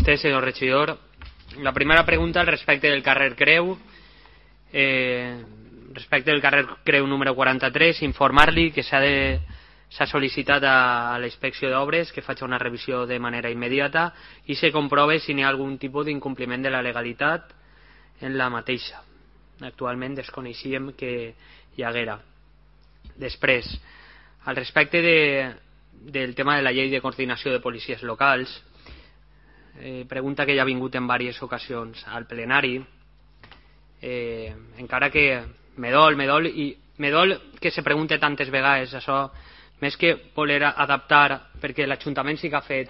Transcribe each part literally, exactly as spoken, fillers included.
usted, señor regidor. La primera pregunta al respecte del carrer Creu. Eh, respecte del carrer Creu número quaranta-tres, informar-li que s'ha de s'ha sol·licitat a la inspecció d'obres que faci una revisió de manera immediata i se comprove si n'hi ha algun tipus d'incompliment de la legalitat en la mateixa. Actualment desconeixíem que hi haguera. Després, al respecte de, del tema de la llei de coordinació de policies locals, eh, pregunta que ja ha vingut en diverses ocasions al plenari, eh, encara que me dol, me dol, i me dol que se pregunte tantes vegades això, més que voler adaptar, perquè l'Ajuntament sí que ha fet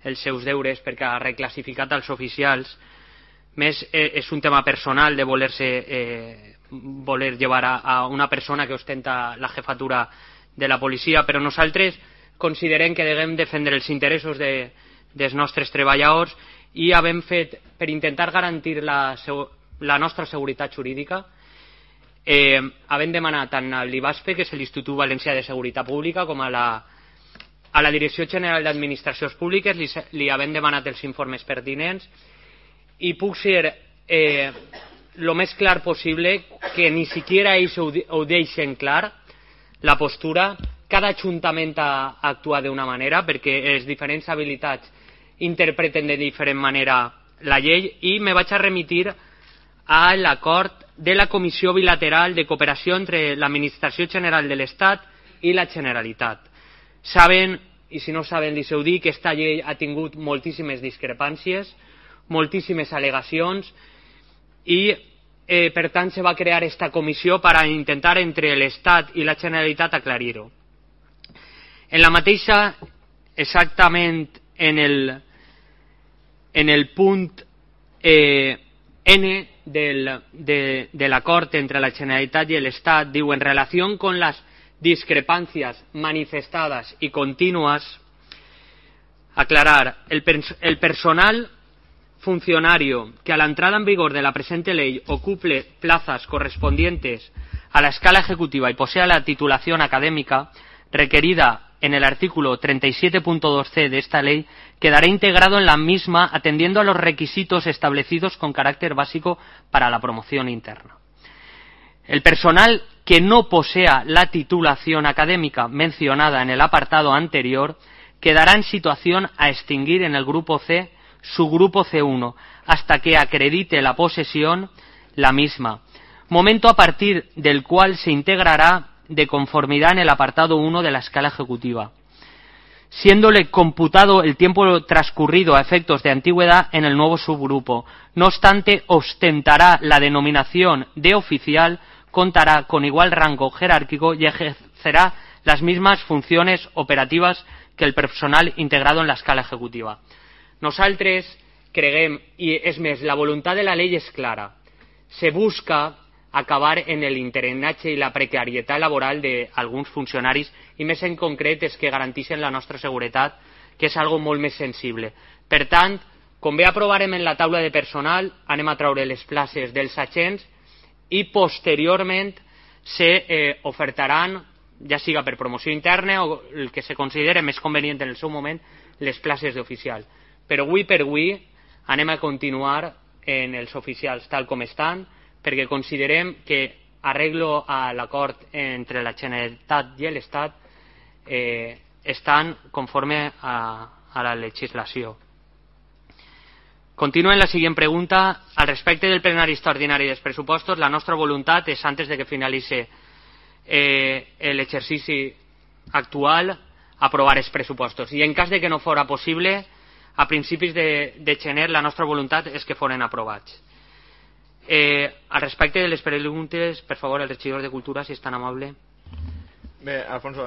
els seus deures, perquè ha reclassificat els oficials, més eh, és un tema personal de voler-se eh, voler llevar a, a una persona que ostenta la jefatura de la policia, però nosaltres considerem que devem defendre els interessos de, dels nostres treballadors i havem fet, per intentar garantir la, la nostra seguretat jurídica, eh, havem demanat tant a l'I B A S P, que és l'Institut Valencià de Seguretat Pública, com a la, a la Direcció General d'Administracions Públiques, li, li havem demanat els informes pertinents i puc ser eh, lo més clar possible, que ni siquiera ells ho, ho deixen clar, la postura. Cada ajuntament ha actuat d'una manera, perquè les diferents habilitats interpreten de diferent manera la llei, i me vaig a remitir a l'acord de la Comissió Bilateral de Cooperació entre l'Administració General de l'Estat i la Generalitat. Saben, i si no saben li heu dit, que aquesta llei ha tingut moltíssimes discrepàncies, moltíssimes al·legacions, i eh, per tant se va crear aquesta comissió per a intentar entre l'Estat i la Generalitat aclarir-ho. En la mateixa, exactament en el, en el punt eh, N del, de, de l'acord entre la Generalitat i l'Estat, diu: en relació con las discrepancias manifestadas y continuas, aclarar, el, el personal funcionario que a la entrada en vigor de la presente ley ocupe plazas correspondientes a la escala ejecutiva y posea la titulación académica requerida en el artículo treinta y siete punto dos ce de esta ley quedará integrado en la misma atendiendo a los requisitos establecidos con carácter básico para la promoción interna. El personal que no posea la titulación académica mencionada en el apartado anterior quedará en situación a extinguir en el grupo C, subgrupo ce uno, hasta que acredite la posesión la misma, momento a partir del cual se integrará de conformidad en el apartado uno de la escala ejecutiva, siéndole computado el tiempo transcurrido a efectos de antigüedad en el nuevo subgrupo. No obstante, ostentará la denominación de oficial, contará con igual rango jerárquico y ejercerá las mismas funciones operativas que el personal integrado en la escala ejecutiva. Nosaltres creguem, i és més, la voluntat de la llei és clara, se busca acabar en l'interinatge i la precarietat laboral d'alguns funcionaris, i més en concret és que garanteixen la nostra seguretat, que és algo molt més sensible. Per tant, com bé aprovarem en la taula de personal, anem a traure les places dels agents i posteriorment se eh, ofertaran, ja siga per promoció interna o el que se considere més convenient en el seu moment, les places d'oficial. Però avui per avui anem a continuar en els oficials tal com estan, perquè considerem que arreglo a l'acord entre la Generalitat i l'Estat eh, estan conforme a, a la legislació. Continuo en la siguiente pregunta. Al respecte del plenari extraordinari dels pressupostos, la nostra voluntat és, antes de que finalitzi eh, l'exercici actual, aprovar els pressupostos. I en cas de que no fora possible, a principis de, de gener, la nostra voluntat és que foren aprovats. Eh, al respecte de les preguntes, per favor, el regidor de Cultura, si és tan amable. Bé, Alfonso,